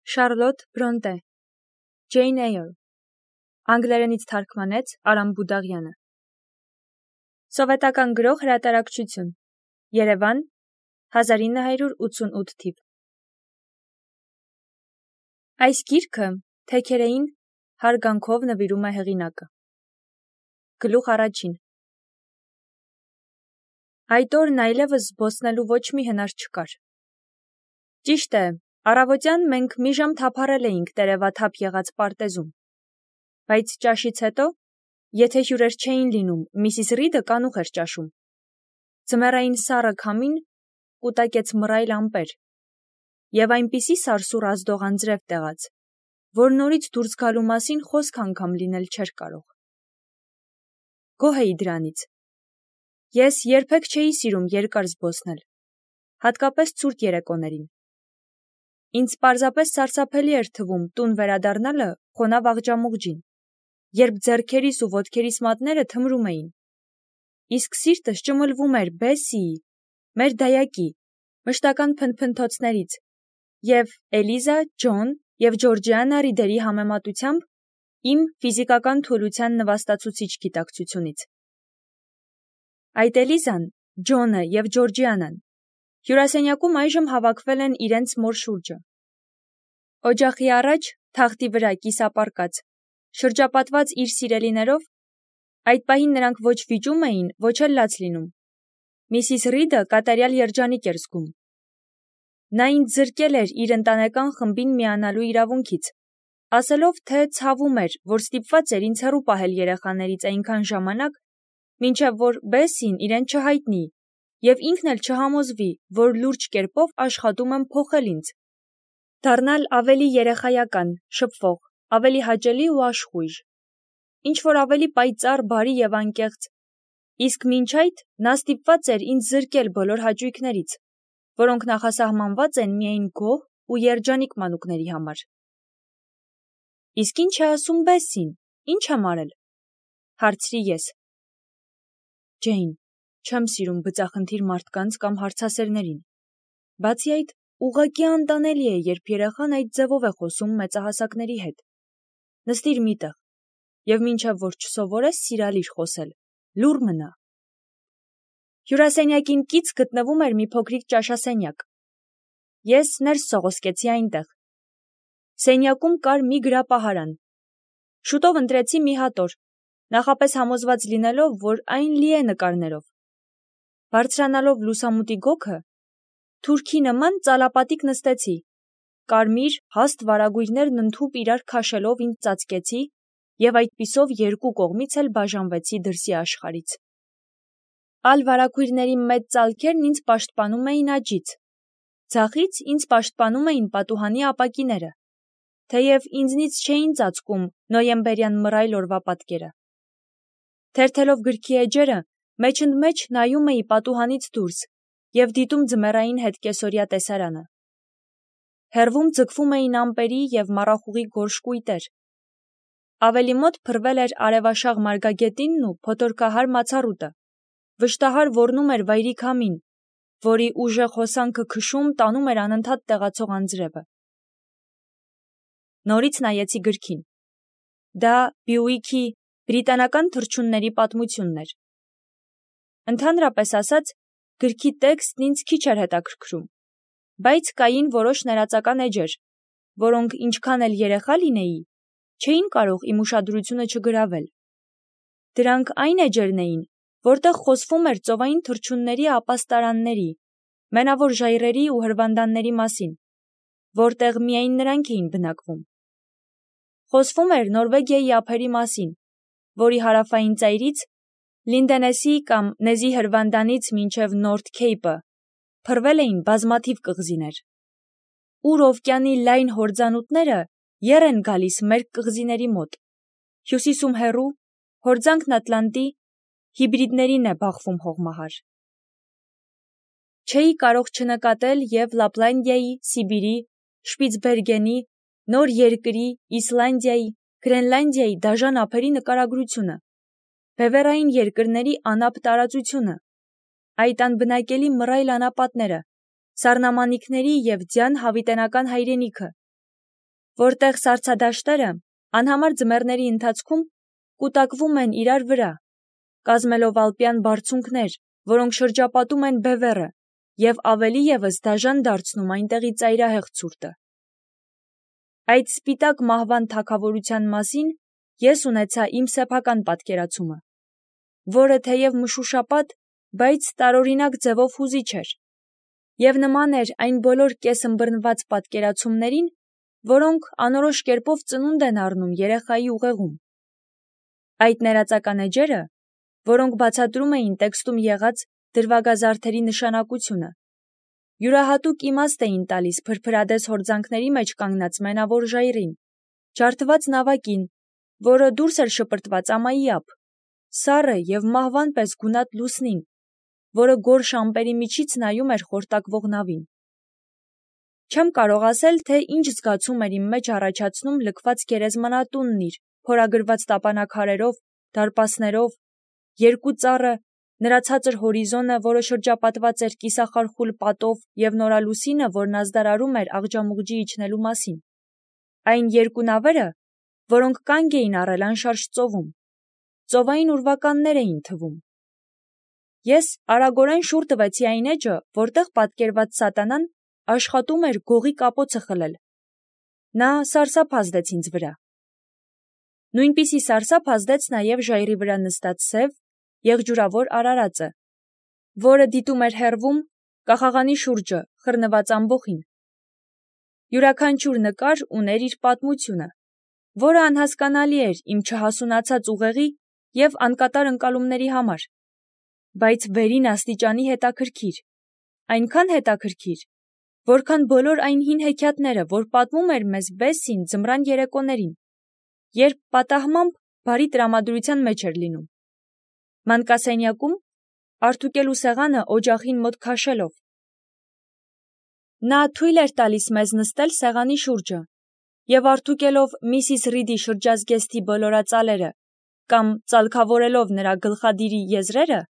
Շարլոտ Բրոնտե, Ջեյն Էյր, անգլերենից թարգմանեց Արամ Բուդաղյանը։ Սովետական գրող հրատարակչություն, Երևան, 1988 թիվ։ Այս գիրքը թեքերեին հարգանքով նվիրում է հեղինակը։ Գլուխ առաջին։ Այդ օրն այլևս զբոսնելու ոչ մի հնար չկար։ Ճիշտ է, առավոտյան մենք մի ժամ թափառել էինք տերևաթափ եղած պարտեզում, բայց ճաշից հետո, եթե հյուրեր չէին լինում, Միսիս Ռիդը կանուխ էր ճաշում։ Ձմեռային սառը քամին կուտակեց մռայլ ամպեր և այնպիսի սարսուռ ազդող անձրև տեղաց, որ նորից դուրս գալու մասին խոսք անգամ լինել չէր կարող։ Գոհ էի դրանից։ Ես երբեք չէի սիրում երկար զբոսնել, հատկապես ցուրտ երեկոներին։ Ինձ պարզապես սարսափելի էր թվում տուն վերադառնալը խոնավ աղջամուղջին, երբ ձեռքերիս ու ոտքերիս մատները թմրում էին, իսկ սիրտս ճմլվում էր Բեսիի, մեր դայակի, մշտական փնփնթոցներից և Էլիզա, Ջոն և Ջորջիանա Ռիդերի համեմատությամբ իմ ֆիզիկական թուլության նվաստացուցիչ գիտակցությունից։ Այդ Էլիզան, Ջոնը և Ջորջիանան հյուրասենյակում այժմ հավաքվել են իրենց մոր շուրջը։ Օջախի առաջ, թախտի վրա կիսապարկած, շրջապատված իր սիրելիներով, այդ պահին նրանք ոչ վիճում էին, ոչ էլ լաց լինում։ Միսիս Ռիդը կատարյալ երջանիկ էր զգում։ Նա ինձ զրկել էր իր ընտանեկան խմբին միանալու իրավունքից, ասելով, թե ցավում էր, որ ստիպված էր ինձ հեռու պահել երեխաներից այնքան ժամանակ, մինչև որ Բեսին իրեն չհայտնի և ինքն էլ չհամոզվի, որ լուրջ կերպով աշխատում եմ փոխել ինձ, դառնալ ավելի երեխայական, շփվող, ավելի հաճելի ու աշխույժ, ինչ-որ ավելի պայծառ, բարի և անկեղծ, իսկ մինչ այդ նա ստիպված էր ինձ զրկել բոլոր հաճույքներից, որոնք նախասահմանված են միայն գոհ ու երջանիկ մանուկների համար։ Իսկ ինչ է ասում Բեսին, ինչ եմ արել, հարցրի ես։ Ջեյն, չեմ սիրում բծախնդիր մարդկանց կամ հարցասերներին։ Բացի այդ, ուղղակի անտանելի է, երբ երեխան այդ ձևով է խոսում մեծահասակների հետ։ Նստիր մի տեղ, և մինչև որ չսովորես սիրալիր խոսել, լուռ մնա։ Հյուրասենյակին կից գտնվում էր մի փոքրիկ ճաշասենյակ։ Ես ներս սողոսկեցի այնտեղ։ Սենյակում կար մի գրապահարան։ Շուտով ընտրեցի մի հատոր, նախապես համոզված լինելով, որ այն լի է նկարներով։ Բարձրանալով լուսամուտի գոգը, թուրքի նման ծալապատիկ նստեցի, կարմիր, հաստ վարագույրներն ընդհուպ իրար քաշելով ինձ ծածկեցի և այդպիսով երկու կողմից էլ բաժանվեցի դրսի աշխարհից։ Ալ վարագույրների մեծ ծալքերն ինձ պաշտպանում էին աջից, ձախից ինձ պաշտպանում էին պատուհանի ապակիները, թեև ինձնից չէին ծածկում նոյեմբերյան մռայլ օրվա պատկերը։ Թերթելով գրքի էջերը, մեջընդմեջ նայում էի պատուհանից դուրս և դիտում ձմեռային հետկեսօրյա տեսարանը։ Հեռվում ձգվում էին ամպերի և մառախուղի գորշ կույտեր։ Ավելի մոտ փռվել էր արևաշաղ մարգագետինն ու փոթորկահար մացառուտը, վշտահար ոռնում էր վայրի քամին, որի ուժեղ հոսանքը քշում տանում էր անընդհատ տեղացող անձրևը։ Նորից նայեցի գրքին։ Դա Բյուիկի բրիտանական թռչունների պատմությունն էր։ Ընդհանրապես ասած, գրքի տեքստն ինձ քիչ էր հետաքրքրում, բայց կային որոշ ներածական էջեր, որոնք ինչքան էլ երեխա լինեի, չէին կարող իմ ուշադրությունը չգրավել։ Դրանք այն էջերն էին, որտեղ խոսվում էր ծովային թռչունների ապաստարանների, մենավոր ժայռերի ու հրվանդանների մասին, որտեղ միայն նրանք էին բնակվում։ Խոսվում էր Նորվեգիայի ափերի մասին, որի հարավային ծայրից, Լինդենեսի կամ Նեզի հրվանդանից մինչև Նորթ Քեյպը, փռվել էին բազմաթիվ կղզիներ։ Ուր օվկիանի լայն հորձանուտները եռ են գալիս մեր կղզիների մոտ, հյուսիսում հեռու, հորձանքն Ատլանտի, հիբրիդներին է բախվում հողմահար։ Չէի կարող չնկատել և Լապլանդիայի, Սիբիրի, Շպիցբերգենի, Նոր Երկրի, Իսլանդիայի, Գրենլանդիայի դաժան ափերի նկարագրությունը, բևեռային երկրների անապ տարածությունը, այդ անբնակելի մռայլ անապատները, սառնամանիքների և ձյան հավիտենական հայրենիքը, որտեղ սառցադաշտերը անհամար ձմեռների ընթացքում կուտակվում են իրար վրա, կազմելով ալպյան բարձունքներ, որոնք շրջապատում են բևեռը և ավելի ևս դաժան դարձնում այնտեղի ծայրահեղ ցուրտը։ Այդ սպիտակ մահվան թագավորության մասին ես ունեցա իմ սեփական պատկերացումը, որը թեև մշուշապատ, բայց տարօրինակ ձևով հուզիչ էր, և նման էր այն բոլոր կեսըմբռնված պատկերացումներին, որոնք անորոշ կերպով ծնունդ են առնում երեխայի ուղեղում։ Այդ ներածական էջերը, որոնք բացատրում էին տեքստում եղած դրվագազարդերի նշանակությունը, յուրահատուկ իմաստ էին տալիս փրփրադես հորձանքների մեջ կանգնած մենավոր ժայռին, ջարդված նավակին, որը դուրս էր շպրտված ամայի ափ, սառը և մահվան պես գունատ լուսնին, որը գորշ ամպերի միջից նայում էր խորտակվող նավին։ Չեմ կարող ասել, թե ինչ զգացում էր իմ մեջ առաջացնում լքված գերեզմանատունն իր փորագրված տապանաքարերով, դարպասներով, երկու ծառը, նրա ցածր հորիզոնը, որը շրջապատված էր կիսախարխուլ պատով, և նորալուսինը, որն ազդարարում էր աղջամուղջի իջնելու մասին։ Այն երկու նավերը, որոնք կանգ էին առել անշարժ ծովում, ծովային ուրվականներ էին թվում։ Ես արագորեն շուռ տվեցի այն էջը, որտեղ պատկերված սատանան աշխատում էր գողի կապոցը խլել։ Նա սարսափ ազդեց ինձ վրա։ Նույնպիսի սարսափ ազդեց նաև ժայռի վրա նստած սև, եղջյուրավոր արարածը, որը դիտում էր հեռվում կախաղանի շուրջը խռնված ամբոխին։ Յուրաքանչյուր նկար ուներ իր պատմությունը, որը անհասկանալի էր իմ չհասունացած ուղեղի և անկատար ընկալումների համար, բայց վերին աստիճանի հետաքրքիր, այնքան հետաքրքիր, որքան բոլոր այն հին հեքիաթները, որ պատմում էր մեզ Բեսսին ձմռան երեկոներին, երբ պատահմամբ բարի տրամադրության մեջ էր լինում։ Մանկասենյակում, Արթուկելու սեղանը օջախին մոտ քաշելով։ Նա թույլ էր տալիս մեզ նստել սեղանի շուրջը, և արտուկելով Միսիս Ռիդի շրջազգեստի բոլորածալերը կամ ծալքավորելով նրա գլխադիրի եզրերը,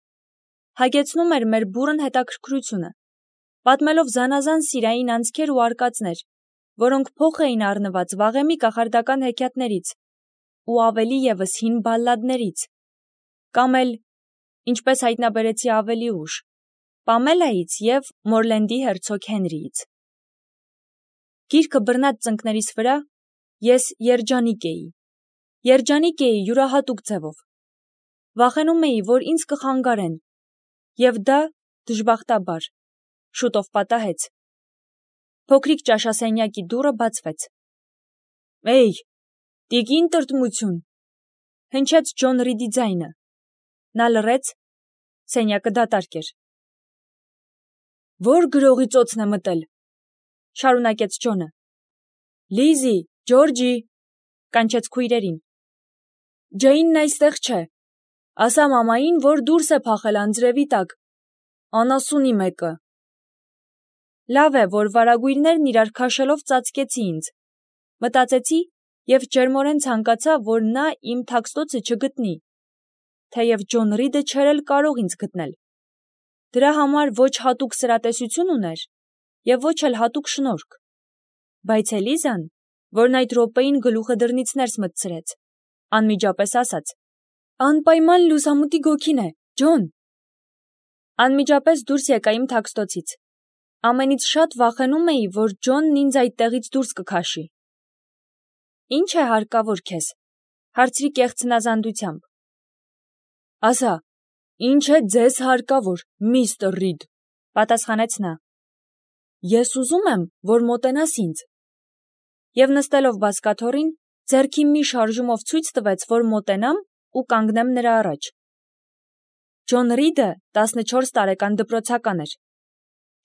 հագեցնում էր մեր բուռն հետաքրքրությունը, պատմելով զանազան սիրային անցքեր ու արկածներ, որոնք փոխ էին առնված վաղեմի կախարդական հեքիաթներից ու ավելի ևս հին բալլադներից, կամ էլ, ինչպես հայտնաբերեցի ավելի ուշ, Պամելայից և Մորլենդի հերցոգ Հենրիից։ Գիրքը բռնած ծնկներիս վրա ես երջանիկ էի։ Երջանիկ էի յուրահատուկ ձևով։ Վախենում էի, որ ինձ կխանգարեն, և դա, դժբախտաբար, շուտով պատահեց։ Փոքրիկ ճաշասենյակի դուռը բացվեց։ «Էյ, տիկին տրտմություն», հնչեց Ջոն Ռիդի ձայնը։ Նա լռեց, սենյակը դատարկ էր։ «Ո՞ր գրողի ծոցն է մտել», շարունակեց Ջոնը։ «Լիզի, Ջորջի», կանչեց քույրերին։ «Ջեյնն այստեղ չէ։ Ասա մամային, որ դուրս է փախել անձրևի տակ, անասունի մեկը»։ Լավ է, որ վարագույրներն իրար քաշելով ծածկեցի ինձ, մտածեցի և ջերմորեն ցանկացա, որ նա իմ թաքստոցը չգտնի, թեև Ջոն Ռիդը չէր էլ կարող ինձ գտնել։ Դրա համար ոչ հատուկ սրատեսություն ուներ և ոչ էլ հատուկ շնորհք, բայց Էլիզան, որն այդ րոպեին գլուխը դռնից ներս մտցրեց, անմիջապես ասաց. «Անպայման լուսամուտի գոգին է, Ջոն»։ Անմիջապես դուրս եկա իմ թաքստոցից։ Ամենից շատ վախենում էի, որ Ջոնն ինձ այդտեղից դուրս կքաշի։ «Ի՞նչ է հարկավոր քեզ», հարցրի կեղծ հնազանդությամբ։ «Ասա, ի՞նչ է ձեզ հարկավոր, միստր Ռիդ», պատասխանեց նա։ «Ես ուզում եմ, որ մոտենաս ինձ»։ Եվ նստելով բազկաթոռին, ձեռքի մի շարժումով ցույց տվեց, որ մոտենամ ու կանգնեմ նրա առաջ։ Ջոն Ռիդը 14 տարեկան դպրոցական էր,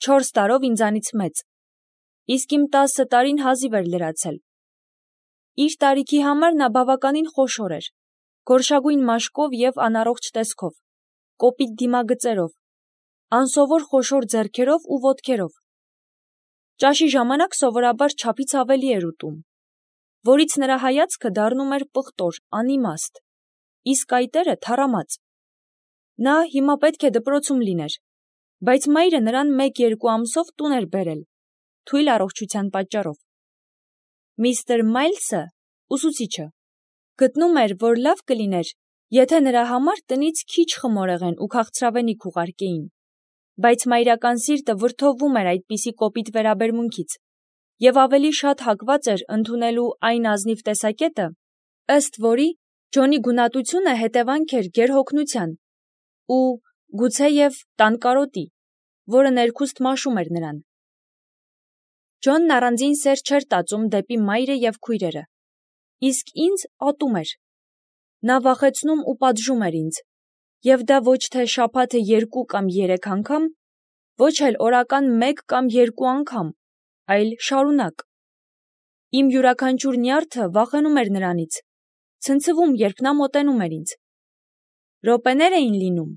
4 տարով ինձանից մեծ, իսկ իմ 10 տարին հազիվ էր լրացել։ Իր տարիքի համար նա բավականին խոշոր էր, գորշագույն մաշկով և անառողջ տեսքով, կոպիտ դիմագծերով, անսովոր խոշոր ձեռքերով ու ոտքերով։ Ճաշի ժամանակ սովորաբար չափից ավելի էր ուտում, որից նրա հայացքը դառնում էր պղտոր, անիմաստ, իսկ այտերը թառամած։ Նա հիմա պետք է դպրոցում լիներ, բայց մայրը նրան 1-2 ամսով տուն էր բերել, թույլ առողջության պատճառով։ Միստր Մայլսը, ուսուցիչը, գտնում էր, որ լավ կլիներ, եթե նրա համար տնից քիչ խմորեղեն ու քաղցրավենիք ուղարկեին, բայց մայրական սիրտը վրդովվում էր այդպիսի կոպիտ վերաբերմունքից և ավելի շատ հակված էր ընդունելու այն ազնիվ տեսակետը, ըստ որի Ջոնի գունատությունը հետևանք էր գերհոգնության ու գուցեև տանկարոտի, որը ներքուստ մաշում էր նրան։ Ջոնն առանձին սեր չէր տածում դեպի մայրը և քույրերը, իսկ ինձ ատում էր։ Նա վախեցնում ու պատժում էր ինձ, և դա ոչ թե շաբաթը 2 կամ 3 անգամ, ոչ էլ օրական 1 կամ 2 անգամ, այլ շարունակ։ Իմ յուրաքանչյուր նյարդը վախենում էր նրանից, ցնցվում, երբ նա մոտենում էր ինձ։ Րոպեներ էին լինում,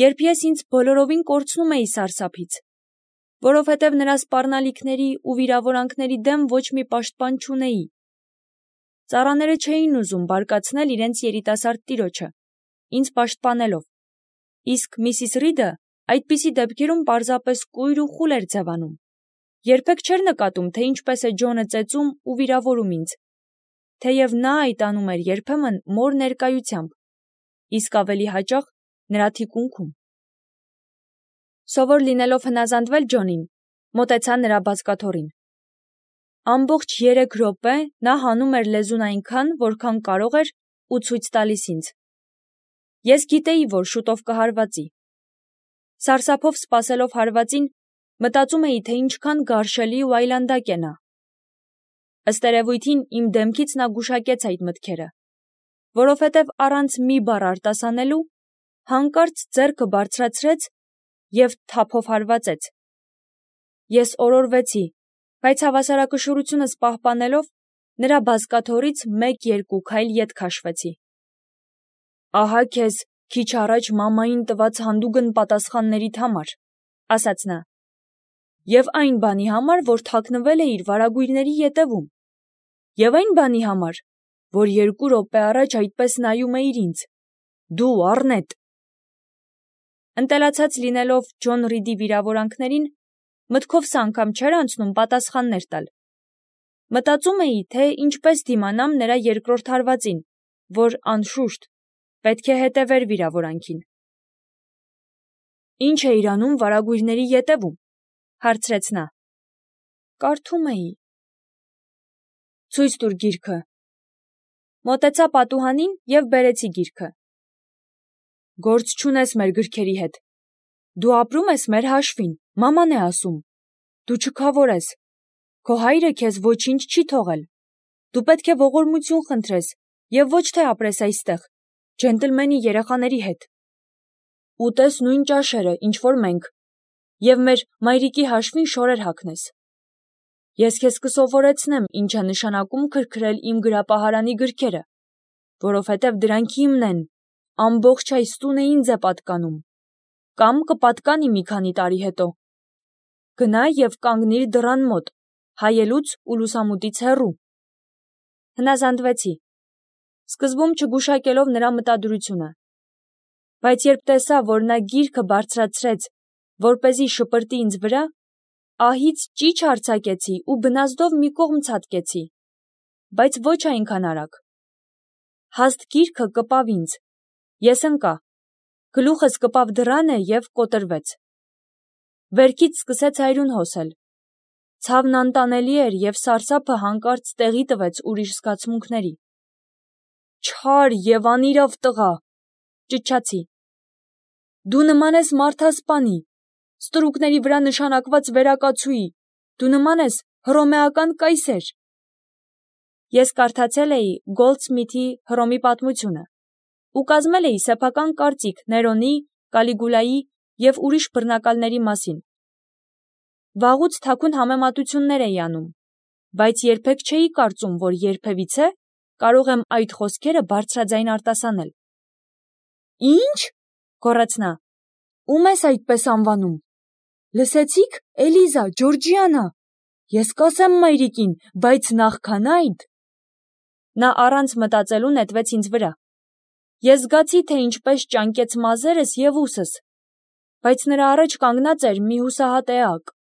երբ ես ինձ բոլորովին կորցնում էի սարսափից, որովհետև նրա սպառնալիքների ու վիրավորանքների դեմ ոչ մի պաշտպան չունեի։ Ծառաները չէին ուզում բարկացնել իրենց երիտասարդ տիրոջը, ինձ պաշտպանելով, իսկ Միսիս Ռիդը այդպիսի դեպքերում պարզապես կույր ու խուլ էր ձևանում, երբեք չէր նկատում, թե ինչպես է Ջոնը ծեծում ու վիրավորում ինձ, թեև նա այդ անում էր երբեմն մոր ներկայությամբ, իսկ ավելի հաճախ նրա թիկունքում։ Սովոր լինելով հնազանդվել Ջոնին, մոտեցա նրա բազկաթոռին։ Ամբողջ 3 րոպե նա հանում էր լեզուն այնքան, որքան կարող էր ու ցույց տալիս ինձ։ Ես գիտեի, որ շուտով կհարվածի։ Սարսափով սպասելով հարվածին, մտածում էի, թե ինչքան գարշելի ու այլանդակ է նա։ Ըստ երևույթին իմ դեմքից նա գուշակեց այդ մտքերը, որովհետև առանց մի բառ արտասանելու, հանկարծ ձեռքը բարձրացրեց և թափով հարվածեց։ Ես օրորվեցի, բայց հավասարակշռությունս պահպանելով, նրա բազկաթոռից 1-2 քայլ ետ քաշվեցի։ «Ահա քեզ քիչ առաջ մամային տված հանդուգն պատասխաններիդ համար», ասաց նա, «և այն բանի համար, որ թաքնվել էիր վարագույրների ետևում, և այն բանի համար, որ 2 րոպե առաջ այդպես նայում էիր ինձ, դու առնետ»։ Ընտելացած լինելով Ջոն Ռիդի վիրավորանքներին, մտքովս անգամ չէր անցնում պատասխաններ տալ։ Մտածում էի, թե ինչպես դիմանամ նրա երկրորդ հարվածին, որ, անշուշտ, պետք է հետևեր վիրավորանքին։ «Ինչ էիր անում վարագույրների ետևում», հարցրեց նա։ «Կարդում էի»։ «Ցույց տուր գիրքը»։ Մոտեցա պատուհանին և բերեցի գիրքը։ «Գործ չունես մեր գրքերի հետ։ Դու ապրում ես մեր հաշվին, մաման է ասում։ Դու չքավոր ես։ Քո հայրը քեզ ոչինչ չի թողել։ Դու պետք է ողորմություն խնդրես և ոչ թե ապրես այստեղ, ջենտլմենի երեխաների հետ։ Ուտես նույն ճաշերը, ինչ որ մենք, և մեր մայրիկի հաշվին շորեր հագնես։ Ես քեզ կսովորեցնեմ ինչ է նշանակում քրքրել իմ գրապահարանի գրքերը, որովհետև դրանք իմն են, ամբողջ այս տունը ինձ է պատկանում, կամ կպատկանի մի քանի տարի հետո։ Գնա և կանգնիր դռան մոտ, հայելուց ու լուսամուտից հեռու։ Հնազանդվեցի, սկզբում չգուշակելով նրա մտադրությունը, բայց երբ տեսա, որ նա գիրքը բարձրացրեց, որպեսզի շպրտի ինձ վրա, ահից ճիչ արձակեցի ու բնազդով մի կողմ ցատկեցի, բայց ոչ այնքան արագ։ Հաստ գիրքը կպավ ինձ, ես ընկա, գլուխս կպավ դռանը և կոտրվեց։ Վերքից սկսեց այրուն հոսել։ Ցավն անտանելի էր և սարսափը հանկարծ տեղի տվեց ուրիշ զգացմունքների։ «Չար և անիրավ տղա», ճչացի։ «Դու նման ես մարդասպանի, ստրուկների վրա նշանակված վերակացուի, դու նման ես հռոմեական կայսեր»։ Ես կարդացել էի Գոլդսմիթի Հռոմի պատմությունը ու կազմել էի սեփական կարծիք Ներոնի, Կալիգուլայի և ուրիշ բռնակալների մասին։ Վաղուց թաքուն համեմատություններ էի անում, բայց երբեք չէի կարծում, որ երբևիցե կարող եմ այդ խոսքերը բարձրաձայն արտասանել։ «Ի՞նչ», գոռաց նա, «ում ես այդպես անվանում։ Լսեցի՞ք, Էլիզա, Ջորջիանա, ես կասեմ մայրիկին, բայց նախքան այդ»։ Նա առանց մտածելու նետվեց ինձ վրա։ Ես զգացի, թե ինչպես ճանկեց մազերս և ուսս, բայց նրա առաջ կանգնած էր մի հուսահատ էակ։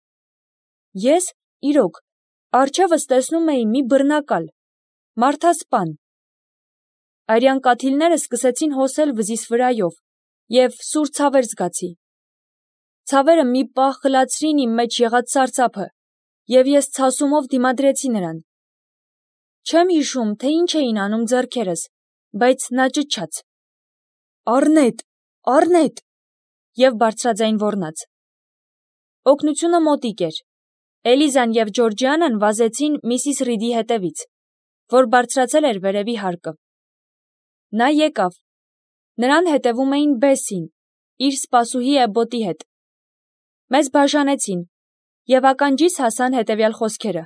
Ես, իրոք, Առջևս տեսնում էի մի բռնակալ, մարդասպան։ Արյան կաթիլները սկսեցին հոսել վզիս վրայով, և սուր ցավեր զգացի։ Ցավերը մի պահ խլացրին իմ մեջ եղած սարսափը, և ես ցասումով դիմադրեցի նրան։ Չեմ հիշում, թե ինչ էին անում ձեռքերս, բայց նա ճչաց. «Առնետ, առնետ» և բարձրաձայն ոռնաց։ Օգնությունը մոտիկ էր։ Էլիզան և Ջորջիանան վազեցին Միսիս Ռիդի հետևից, որ բարձրացել էր վերևի հարկը։ Նա եկավ։ Նրան հետևում էին Բեսին, իր սպասուհի Էբբոտի հետ։ Մեզ բաժանեցին, և ականջիս հասան հետևյալ խոսքերը.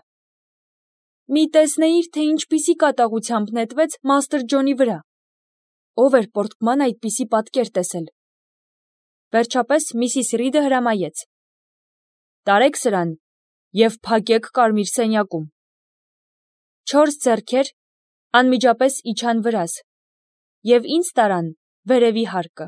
«Մի տեսնեիր, թե ինչպիսի կատաղությամբ նետվեց Մաստր Ջոնի վրա։ Ով էր պորտկման այդպիսի պատկեր տեսել»։ Վերջապես Միսիս Ռիդը հրամայեց. «Տարեք սրան և փակեք կարմիր սենյակում»։ 4 ձեռքեր անմիջապես իջան վրաս, և ինձ տարան վերևի հարկը։